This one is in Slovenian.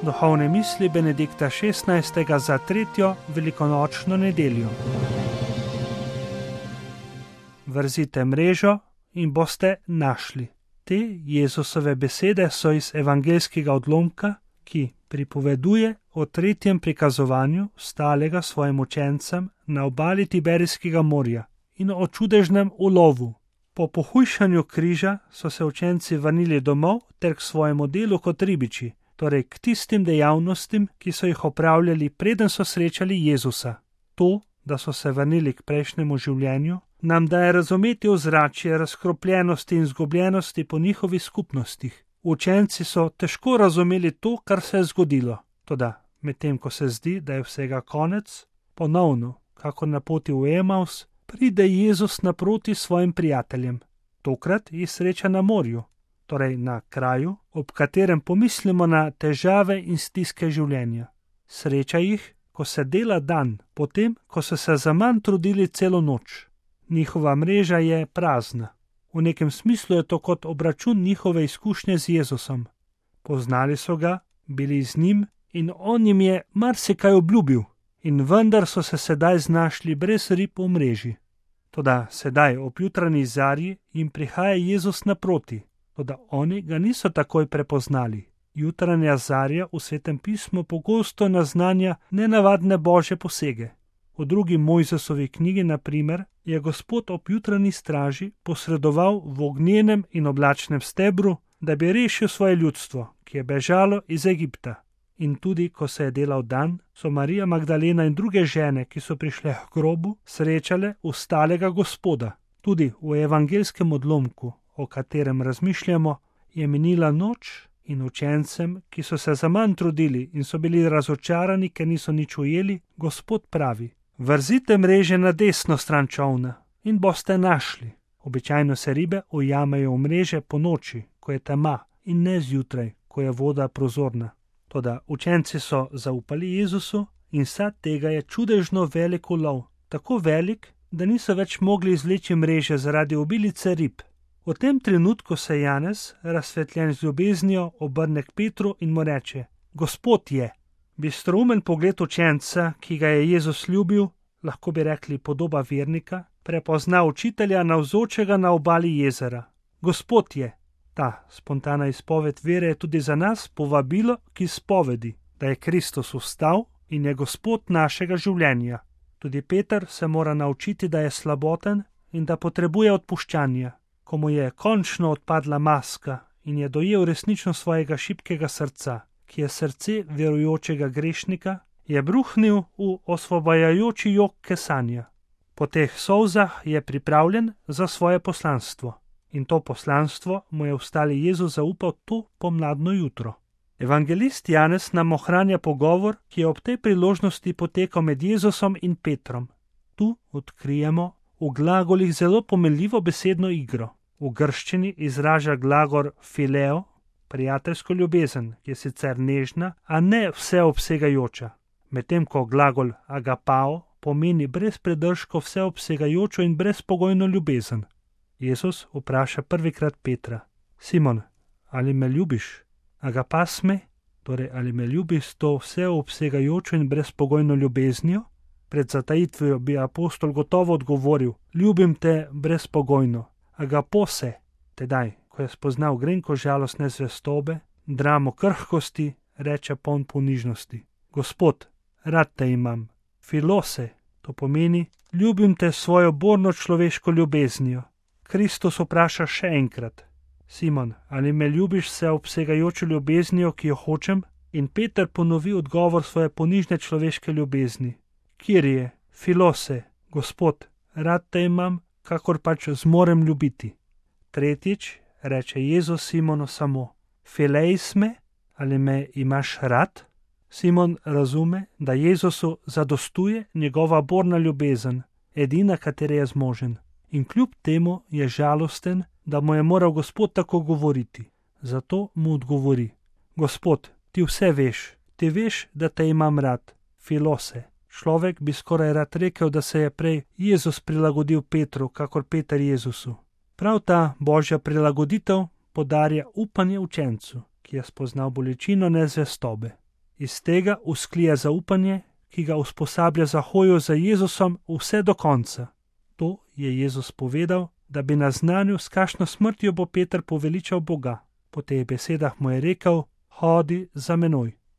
Duhovne misli Benedikta XVI. Za 3. velikonočno nedeljo. Vrzite mrežo in boste našli. Te Jezusove besede so iz evangeljskega odlomka, ki pripoveduje o 3. prikazovanju stalega svojim učencem na obali Tiberijskega morja in o čudežnem ulovu. Po pohujšanju križa so se učenci vrnili domov ter k svojemu delu kot ribiči, torej k tistim dejavnostim, ki so jih opravljali, preden so srečali Jezusa. To, da so se vrnili k prejšnjemu življenju, nam daje razumeti ozračje razkropljenosti in izgubljenosti po njihovih skupnostih. Učenci so težko razumeli to, kar se je zgodilo. Toda, medtem ko se zdi, da je vsega konec, ponovno, kako na poti v Emaus, pride Jezus naproti svojim prijateljem. Tokrat jih sreča na morju, torej na kraju, ob katerem pomislimo na težave in stiske življenja. Sreča jih, ko se dela dan, potem, ko so se zaman trudili celo noč. Njihova mreža je prazna. V nekem smislu je to kot obračun njihove izkušnje z Jezusom. Poznali so ga, bili z njim in on jim je marsikaj obljubil. In vendar so se sedaj znašli brez rib v mreži. Toda sedaj ob jutranji zarji jim prihaja Jezus naproti, toda oni ga niso takoj prepoznali. Jutranja zarja v Svetem pismu pogosto naznanja nenavadne božje posege. V drugi Mojzesovi knjigi, na primer, je Gospod ob jutranji straži posredoval v ognjenem in oblačnem stebru, da bi rešil svoje ljudstvo, ki je bežalo iz Egipta. In tudi, ko se je delal dan, so Marija Magdalena in druge žene, ki so prišle k grobu, srečale ustalega Gospoda. Tudi v evangeljskem odlomku, o katerem razmišljamo, je minila noč in učencem, ki so se zaman trudili in so bili razočarani, ker niso nič ujeli, Gospod pravi: vrzite mreže na desno stran čolna in boste našli. Običajno se ribe ujamejo v mreže po noči, ko je tema, in ne zjutraj, ko je voda prozorna. Toda učenci so zaupali Jezusu in sad tega je čudežno velik ulov, tako velik, da niso več mogli izvleči mreže zaradi obilice rib. V tem trenutku se Janez, razsvetljen z ljubeznijo, obrne k Petru in mu reče: Gospod je. Bistroumen pogled učenca, ki ga je Jezus ljubil, lahko bi rekli podoba vernika, prepozna učitelja navzočega na obali jezera. Gospod je. Ta spontana izpoved vere je tudi za nas povabilo k izpovedi, da je Kristus vstal in je Gospod našega življenja. Tudi Peter se mora naučiti, da je slaboten in da potrebuje odpuščanja. Ko mu je končno odpadla maska in je dojel resnično svojega šibkega srca, ki je srce verujočega grešnika, je bruhnil v osvobajajoči jok kesanja. Po teh solzah je pripravljen za svoje poslanstvo. In to poslanstvo mu je vstali Jezus zaupal to pomladno jutro. Evangelist Janez nam ohranja pogovor, ki je ob tej priložnosti potekal med Jezusom in Petrom. Tu odkrijemo v glagolih zelo pomenljivo besedno igro. V grščini izraža glagol fileo, prijateljsko ljubezen, ki je sicer nežna, a ne vseobsegajoča, medtem ko glagol agapao pomeni brez predržkov vseobsegajočo in brezpogojno ljubezen. Jezus vpraša prvikrat Petra: Simon, ali me ljubiš? Agapas me, torej ali me ljubiš s to vseobsegajočo in brezpogojno ljubeznijo? Pred zatajitvijo bi apostol gotovo odgovoril: ljubim te brezpogojno. Agapose, tedaj, ko je spoznal grenko žalostne zvestobe, dramo krhkosti, reče poln ponižnosti: Gospod, rad te imam. Filose, to pomeni: ljubim te svojo borno človeško ljubeznijo. Kristus vpraša še enkrat: Simon, ali me ljubiš vseobsegajočo ljubeznijo, ki jo hočem? In Peter ponovi odgovor svoje ponižne človeške ljubezni: Kirije, filose, Gospod, rad te imam, kakor pač zmorem ljubiti. Tretjič reče Jezus Simonu samo: Fileis me, ali me imaš rad? Simon razume, da Jezusu zadostuje njegova borna ljubezen, edina, katere je zmožen. In kljub temu je žalosten, da mu je moral Gospod tako govoriti. Zato mu odgovori: Gospod, ti vse veš, ti veš, da te imam rad. Filose. Človek bi skoraj rad rekel, da se je prej Jezus prilagodil Petru, kakor Peter Jezusu. Prav ta božja prilagoditev podarja upanje učencu, ki je spoznal bolečino nezvestobe. Iz tega vzklije zaupanje, ki ga usposablja za hojo za Jezusom vse do konca. To je Jezus povedal, da bi naznanil, s kakšno smrtjo bo Peter poveličal Boga. Po teh besedah mu je rekel: Hodi za menoj.